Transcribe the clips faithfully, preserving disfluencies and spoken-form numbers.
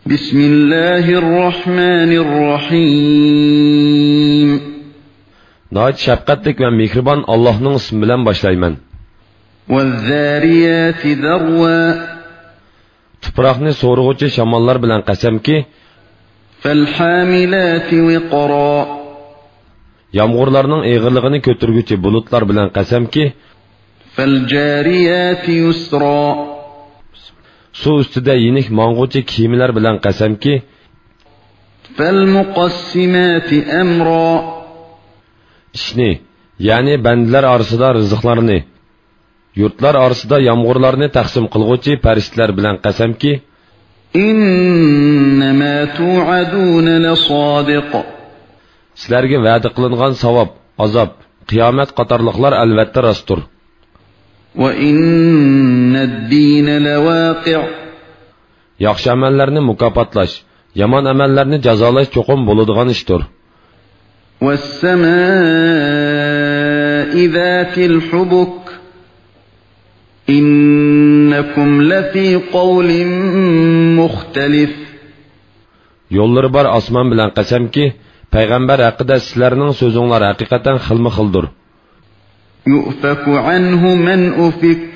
بسم الله الرحمن الرحيم. ناھايىتى شەپقەتلىك ۋە مېھرىبان ئاللاھنىڭ ئىسمى بىلەن باشلايمەن. والذاريات ذروا. تۇپراقنى سورۇغۇچى شاماللار بىلەن قەسەمكى، فالحاملات وقرا. يامغۇرلارنىڭ ئېغىرلىقىنى كۆتۈرگۈچى بۇلۇتلار بىلەن قەسەمكى، فالجاريات يسرا. سۇ ئۈستىدە يېنىك ماڭغۇچى كېمىلەر بىلەن قەسەمكى، فالمقسمات أمرا. ئىشنى، يەنى بەندىلەر ئارىسىدا رىزىقلارنى، يۇرتلار ئارىسىدا يامغۇرلارنى تەقسىم قىلغۇچى پەرىشتىلەر بىلەن قەسەمكى، إنما توعدون لصادق. سىلەرگە ۋەدە قىلىنغان ساۋاب، ئازاب، قىيامەت قاتارلىقلار ئەلۋەتتە راستتۇر. وإن الدين لواقع. ياخشى ئەمەللەرنى مۇكاپاتلاش، يامان ئەمەللەرنى جازالاش چوقۇم بولىدىغان ئىشتۇر. والسماء ذات الحبك. إنكم لفي قول مختلف. يوللىرى بار ئاسمان بىلەن قەسەمكى، پەيغەمبەر ھەققىدە سىلەرنىڭ سۆزۈڭلار ھەقىقەتەن خىلمۇ خىلدۇر. يؤفك عنه من أفك.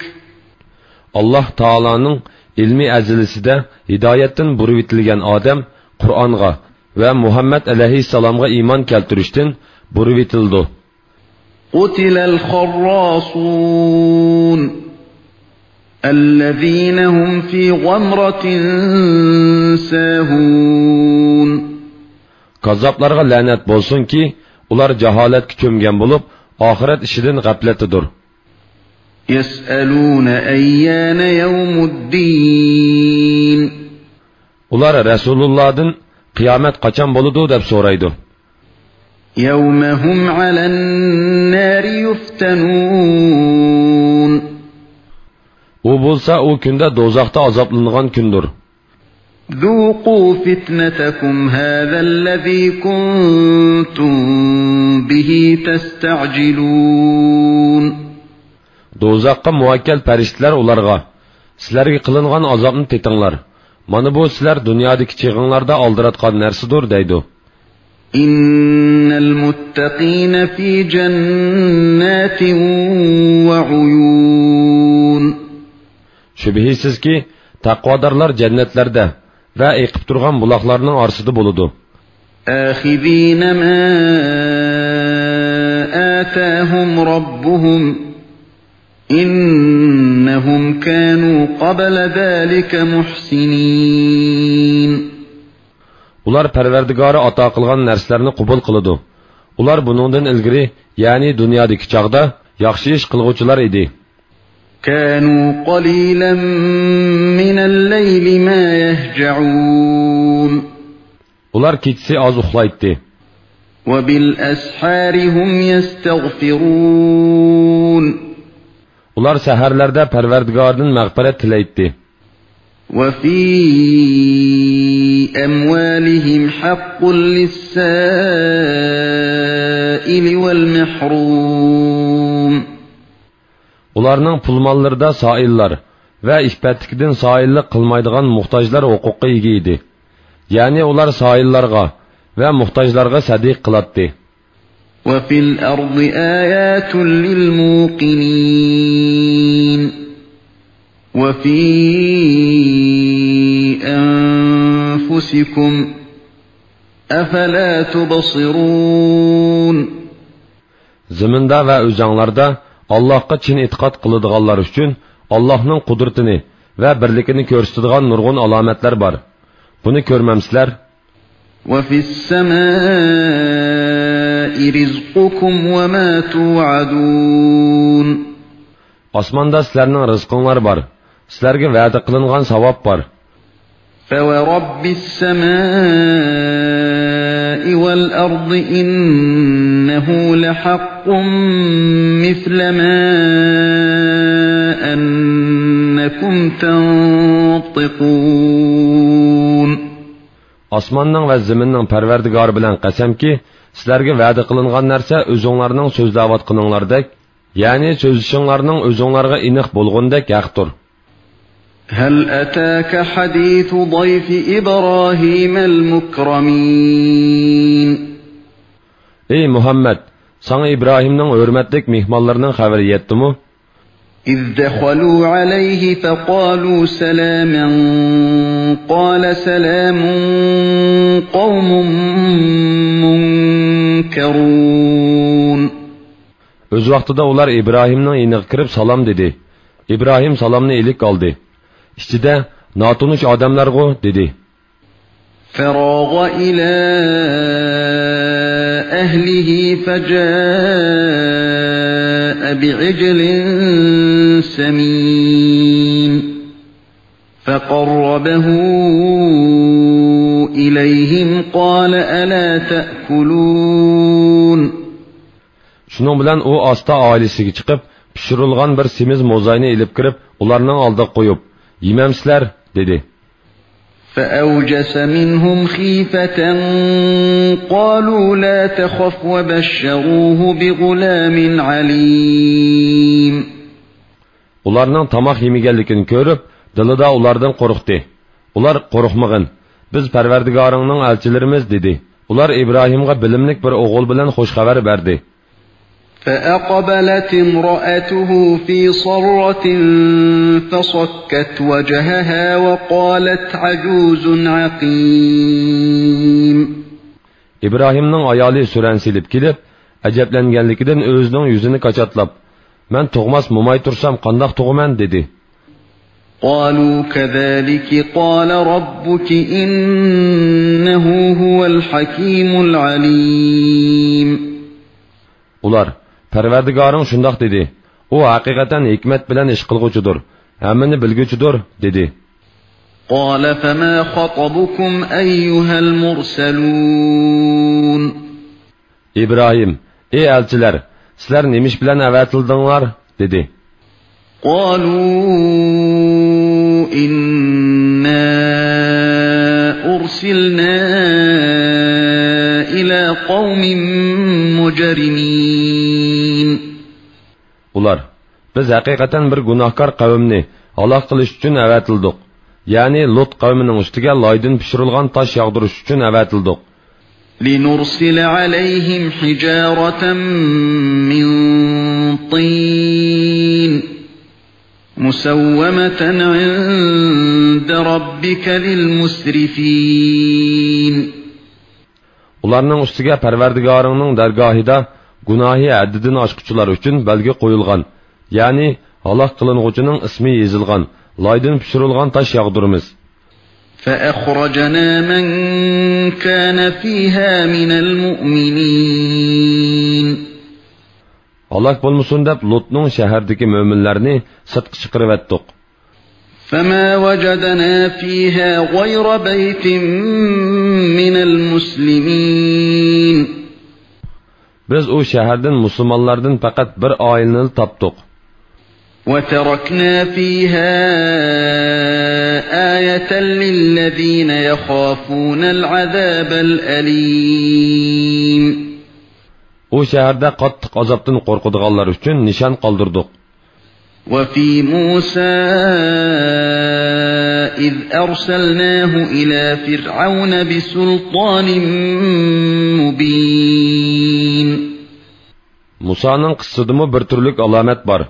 ئاللاھ تائالانىڭ ئىلمى ئەزىلىسىدە ھىدايەتتىن بۇرۇۋېتىلگەن ئادەم قۇرئانغا ۋە مۇھەممەد ئەلەيھىسسالامغا ئىمان كەلتۈرۈشتىن بۇرۇۋېتىلىدۇ. قتل الخراصون. الذين هم في غمرة ساهون. كاززاپلارغا لەنەت بولسۇنكى، ئۇلار جاھالەتكە چۆمگەن بولۇپ، ئاخىرەت ئىشىدىن غەپلەتتىدۇر. يسألون أيان يوم الدين. ئۇلار رەسۇلۇللاھدىن، قىيامەت قاچان بولىدۇ دەپ سورايدۇ. يوم هم على النار يفتنون. ئۇ بولسا ئۇ كۈندە دوزاختا ئازابلىنىدىغان كۈندۇر. ذوقوا فتنتكم هذا الذي كنتم به تستعجلون. دوزاخقا مۇۋەككەل پەرىشتىلەر ئۇلارغا، سىلەرگە قىلىنغان ئازابنى تېتىڭلار. مانا بۇ سىلەر دۇنيادىكى چېغىڭلاردا ئالدىراتقان نەرسىدۇر دەيدۇ. إن المتقين في جنات وعيون. شۈبھىسىزكى، تەقۋادارلار جەننەتلەردە ۋە ئېقىپ تۇرغان بۇلاقلارنىڭ ئارىسىدا بولىدۇ. آخذين ما آتاهم ربهم إنهم كانوا قبل ذلك محسنين. ئۇلار پەرۋەردىگارى ئاتا قىلغان نەرسىلەرنى قوبۇل قىلىدۇ. ئۇلار بۇنىڭدىن ئىلگىرى، يەنى دۇنيادىكى چاغدا ياخشى ئىش قىلغۇچىلار ئىدى. كانوا قليلا من الليل ما يهجعون. ئۇلار كېچىسى ئاز ئۇخلايتتى. وبالأسحار هم يستغفرون. ئۇلار سەھەرلەردە پەرۋەردىگارىدىن مەغپىرەت تىلەيتتى. وفي أموالهم حق للسائل والمحروم. ئۇلارنىڭ پۇل-ماللىرىدا سائىللار ۋە ئىپپەتلىكىدىن سائىللىق قىلمايدىغان موھتاجلار ھوقۇققا ئىگە ئىدى. يەنى ئۇلار سائىللارغا ۋە موھتاجلارغا سەدىقە قىلاتتى. وفي الأرض آيات للموقنين. وفي أنفسكم أفلا تبصرون. زېمىندا ۋە ئۆزەڭلاردا ئاللاھقا چىن ئېتىقاد قىلىدىغانلار ئۈچۈن ئاللاھنىڭ قۇدرىتىنى ۋە بىرلىكىنى كۆرسىتىدىغان نۇرغۇن ئالامەتلەر بار. بۇنى كۆرمەمسىلەر؟ وفي السماء رزقكم وما توعدون. ئاسماندا سىلەرنىڭ رىزقىڭلار بار، سىلەرگە ۋەدە قىلىنغان ساۋاب بار. فورب السماء والأرض إنه لحق مثل ما أنكم تنطقون. ئاسماننىڭ ۋە زېمىننىڭ پەرۋەردىگارى بىلەن قەسەمكى، سىلەرگە ۋەدە قىلىنغان نەرسە ئۆزۈڭلارنىڭ سۆزلەۋاتقىنىڭلاردەك، يەنى سۆزلىشىڭلارنىڭ ئۆزۈڭلارغا ئېنىق بولغىنىدەك ھەقتۇر. هل أتاك حديث ضيف إبراهيم المكرمين. ئەي مۇھەممەد، ساڭا ئىبراھىمنىڭ ھۆرمەتلىك مېھمانلىرىنىڭ خەۋىرى يەتتىمۇ؟ إذ دخلوا عليه فقالوا سلاما قال سلام قوم منكرون. ئۆز ۋاقتىدا ئۇلار ئىبراھىمنىڭ يېنىغا كىرىپ سالام دېدى. ئىبراھىم سالامنى ئىلىك ئالدى. ئىچىدە، ناتونۇش ئادەملەرغۇ دېدى. فراغ إلى أهله فجاء بعجل سمين فقربه إليهم قال ألا تأكلون. شۇنىڭ بىلەن ئۇ ئاستا ئائىلىسىگە چىقىپ، پىشۇرۇلغان بىر سېمىز موزاينى ئېلىپ كىرىپ، ئۇلارنىڭ ئالدىغا قويۇپ، يېمەمسىلەر؟ دېدى. فأوجس منهم خيفة قالوا لا تخف وبشروه بغلام عليم. ئۇلارنىڭ تاماق يېمىگەنلىكىنى كۆرۈپ، دىلىدا ئۇلاردىن قورقتى. ئۇلار، قورقمىغىن، بىز پەرۋەردىگارىڭنىڭ ئەلچىلىرىمىز، دېدى. ئۇلار ئىبراھىمغا بىلىملىك بىر ئوغۇل بىلەن خۇش خەۋەر بەردى. فأقبلت امرأته في صرة فصكت وجهها وقالت عجوز عقيم. ئىبراھىمنىڭ ئايالى سۈرەن سېلىپ كېلىپ، ئەجەبلەنگەنلىكىدىن ئۆزىنىڭ يۈزىنى كاچاتلاپ، مەن تۇغماس موماي تۇرسام قانداق تۇغىمەن؟ دېدى. قالوا كذلك قال ربك إنه هو الحكيم العليم. ئۇلار، پەرۋەردىگارىڭ شۇنداق دېدى، ئۇ ھەقىقەتەن ھېكمەت بىلەن ئىش قىلغۇچىدۇر، ھەممىنى بىلگۈچىدۇر، دېدى. قال فما خطبكم أيها المرسلون. ئىبراھىم، ئەي ئەلچىلەر، سىلەر نېمە ئىش بىلەن ئەۋەتىلدىڭلار؟ دېدى. قالوا إنا أرسلنا إلى قوم مجرمين. ئۇلار، بىز ھەقىقەتەن بىر گۇناھكار قەۋمنى ھالاك قىلىش ئۈچۈن ئەۋەتىلدۇق. يەنى لۇت قەۋمىنىڭ ئۈستىگە لايدىن پىشۇرۇلغان تاش ياغدۇرۇش ئۈچۈن ئەۋەتىلدۇق. لنرسل عليهم حجارة من طين مسومة عند ربك للمسرفين. ئۇلارنىڭ ئۈستىگە پەرۋەردىگارىڭنىڭ دەرگاھىدا گۇناھى ھەددىدىن ئاشقۇچىلار ئۈچۈن بەلگە قويۇلغان، يەنى ھالاك قىلىنغۇچىنىڭ ئىسمى يېزىلغان، لايدىن پىشۇرۇلغان تاش ياغدۇرىمىز. فأخرجنا من كان فيها من المؤمنين. ھالاك بولمىسۇن دەپ لۇتنىڭ شەھەردىكى مۆمىنلەرنى سىرتقا چىقىرىۋەتتۇق. فما وجدنا فيها غير بيت من المسلمين. بىز ئۇ شەھەردىن مۇسۇلمانلاردىن پەقەت بىر ئائىلىنىلا تاپتۇق. وتركنا فيها آية للذين يخافون العذاب الأليم. ئۇ شەھەردە قاتتىق ئازابتىن قورقىدىغانلار ئۈچۈن نىشان قالدۇردۇق. وفي موسى إذ أرسلناه إلى فرعون بسلطان مبين. مۇسانىڭ قىسسىسىدىمۇ بىر تۈرلۈك ئالامەت بار.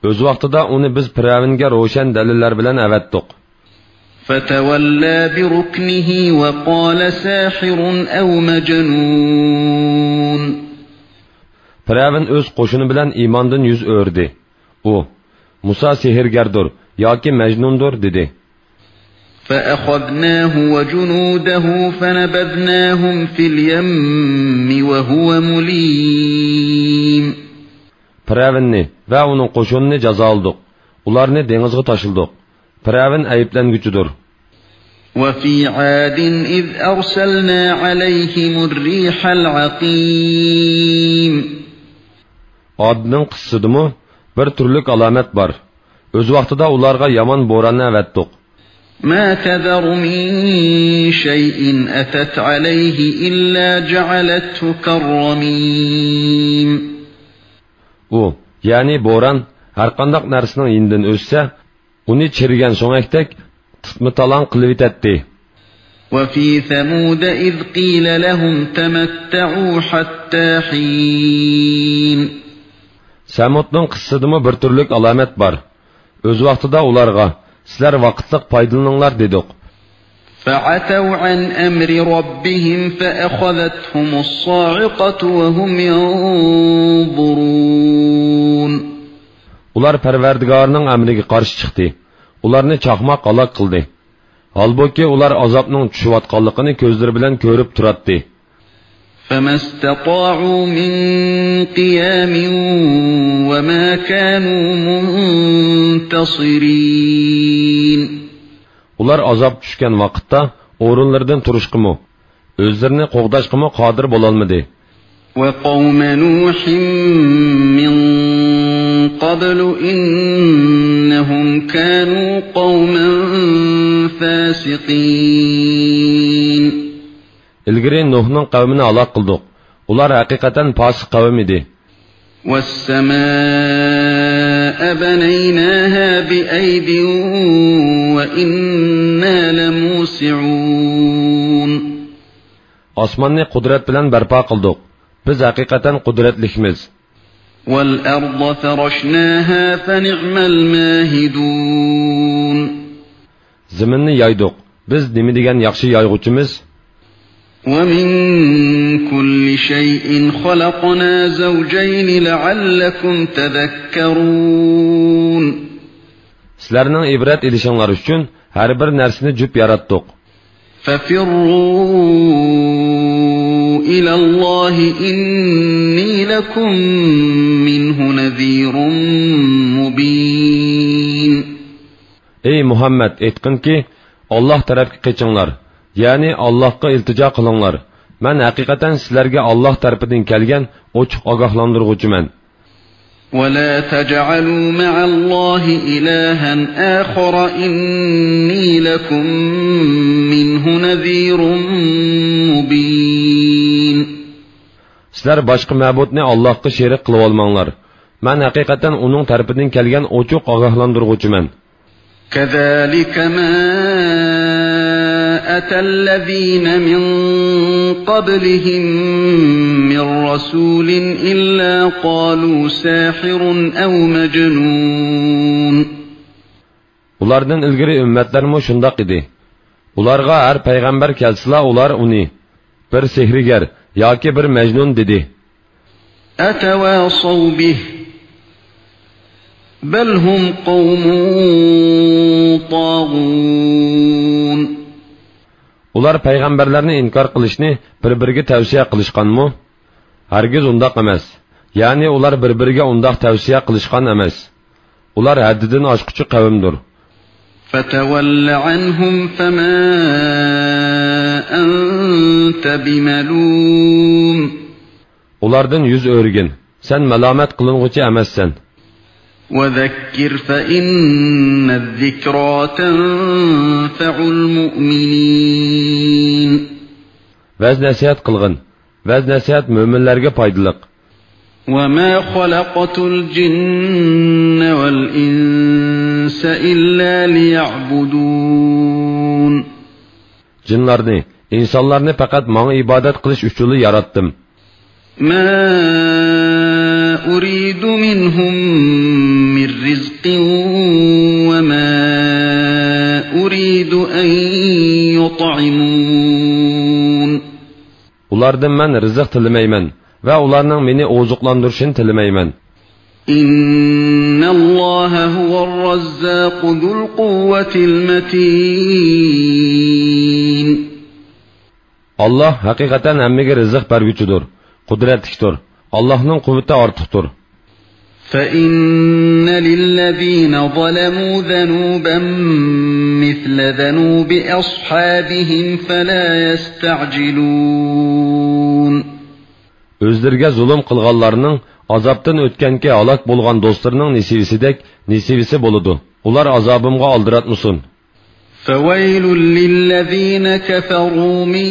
ئۆز ۋاقتىدا ئۇنى بىز پىرئەۋنگە روشەن دەلىللەر بىلەن ئەۋەتتۇق. فتولى بركنه وقال ساحر أو مجنون. پىرئەۋن ئۆز قوشۇنى بىلەن ئىماندىن يۈز ئۆرۈدى. ئۇ، مۇسا سېھىرگەردۇر ياكى مەجنۇندۇر، دېدى. فأخذناه وجنوده فنبذناهم في اليم وهو مليم. پىرئەۋننى ۋە ئۇنىڭ قوشۇنىنى جازالىدۇق. ئۇلارنى دېڭىزغا تاشلىدۇق. پىرئەۋن ئەيىبلەنگۈچىدۇر. وفي عاد إذ أرسلنا عليهم الريح العقيم. ئادنىڭ قىسسىسىدىمۇ بىر تۈرلۈك ئالامەت بار. ئۆز ۋاقتىدا ئۇلارغا يامان بوراننى ئەۋەتتۇق. ما تذر من شيء أتت عليه إلا جعلته كالرميم. ئۇ، يەنى بوران، ھەرقانداق نەرسىنىڭ يېنىدىن ئۆتسە، ئۇنى چىرىگەن سۆڭەكتەك تىتما-تالاڭ قىلىۋېتەتتى. وفي ثمود إذ قيل لهم تمتعوا حتى حين. سەمۇدنىڭ قىسسىسىدىمۇ بىر تۈرلۈك ئالامەت بار. ئۆز ۋاقتىدا ئۇلارغا، سىلەر ۋاقىتلىق پايدىلىنىڭلار دېدۇق. فعتوا عن أمر ربهم فأخذتهم الصاعقة وهم ينظرون. ئۇلار پەرۋەردىگارىنىڭ ئەمرىگە قارشى چىقتى. ئۇلارنى چاقماق ھالاك قىلدى. ھالبۇكى، ئۇلار ئازابنىڭ چۈشۈۋاتقانلىقىنى كۆزلىرى بىلەن كۆرۈپ تۇراتتى. فما استطاعوا من قيام وما كانوا منتصرين. ئۇلار ئازاب چۈشكەن ۋاقىتتا ئورۇنلىرىدىن تۇرۇشقىمۇ، ئۆزلىرىنى قوغداشقىمۇ قادىر بولالمىدى. وقوم نوح من قبل إنهم كانوا قوما فاسقين. ئىلگىرى نۇھنىڭ قەۋمىنى ھالاك قىلدۇق. ئۇلار ھەقىقەتەن پاسىق قەۋم ئىدى. والسماء بنيناها بأيد وإنا لموسعون. ئاسماننى قۇدرەت بىلەن بەرپا قىلدۇق. بىز ھەقىقەتەن قۇدرەتلىكمىز. والأرض فرشناها فنعم الماهدون. زېمىننى يايدۇق. بىز نېمە دېگەن ياخشى يايغۇچىمىز! ومن كل شيء خلقنا زوجين لعلكم تذكرون. سىلەرنىڭ ئىبرەت ئېلىشىڭلار ئۈچۈن ھەر بىر نەرسىنى جۈپ ياراتتۇق. ففروا إلى الله إني لكم منه نذير مبين. ئەي مۇھەممەد، ئېيتقىنكى، ئاللاھ تەرەپكە قېچىڭلار، يەنى ئاللاھقا ئىلتىجا قىلىڭلار. مەن ھەقىقەتەن سىلەرگە ئاللاھ تەرىپىدىن كەلگەن ئوچۇق ئاگاھلاندۇرغۇچىمەن. ولا تجعلوا مع الله إلها آخر إني لكم منه نذير مبين. سىلەر باشقا مەبۇدنى ئاللاھقا شېرىك قىلىۋالماڭلار. مەن ھەقىقەتەن ئۇنىڭ تەرىپىدىن كەلگەن ئوچۇق ئاگاھلاندۇرغۇچىمەن. كذلك ما أتى الذين من قبلهم من رسول إلا قالوا ساحر أو مجنون. ئۇلاردىن ئىلگىرى ئۈممەتلەرمۇ شۇنداق ئىدى. ئۇلارغا ھەر پەيغەمبەر كەلسىلا، ئۇلار ئۇنى بىر سېھىرگەر ياكى بىر مەجنۇن دېدى. أتواصوا به بل هم قوم طاغون. ئۇلار پەيغەمبەرلەرنى ئىنكار قىلىشنى بىر-بىرىگە تەۋسىيە قىلىشقانمۇ؟ ھەرگىز ئۇنداق ئەمەس. يەنى ئۇلار بىر-بىرىگە ئۇنداق تەۋسىيە قىلىشقان ئەمەس. ئۇلار ھەددىدىن ئاشقۇچى قەۋمدۇر. فتول عنهم فما أنت بملوم. ئۇلاردىن يۈز ئۆرۈگىن، سەن مالامەت قىلىنغۇچى ئەمەسسەن. وذكر فإن الذكرى تنفع المؤمنين. ۋەز-نەسىھەت قىلغىن، ۋەز-نەسىھەت مۆمىنلەرگە پايدىلىق. وما خلقت الجن والإنس إلا ليعبدون. جىنلارنى، ئىنسانلارنى پەقەت ماڭا ئىبادەت قىلىش ئۈچۈنلا ياراتتىم. ما أريد منهم من رزق وما أريد أن يطعمون. ئۇلاردىن مەن رىزىق تىلىمەيمەن ۋە ئۇلارنىڭ مېنى ئوزۇقلاندۇرۇشىنى تىلىمەيمەن. إن الله هو الرزاق ذو القوة المتين. ئاللاھ ھەقىقەتەن ھەممىگە رىزىق بەرگۈچىدۇر، قۇدرەتلىكتۇر. ئاللاھنىڭ قۇۋۋىتى ئارتۇقتۇر. فإن للذين ظلموا ذنوبا مثل ذنوب أصحابهم فلا يستعجلون. ئۆزلىرىگە زۇلۇم قىلغانلارنىڭ ئازابتىن ئۆتكەنكى ھالاك بولغان دوستلىرىنىڭ نېسىۋىسىدەك نېسىۋىسى بولىدۇ. ئۇلار ئازابىمغا ئالدىراتمىسۇن. فويل للذين كفروا من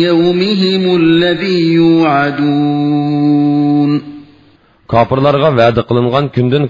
يومهم الذي يوعدون. كاپىرلارغا ۋەدە قىلىنغان كۈندىن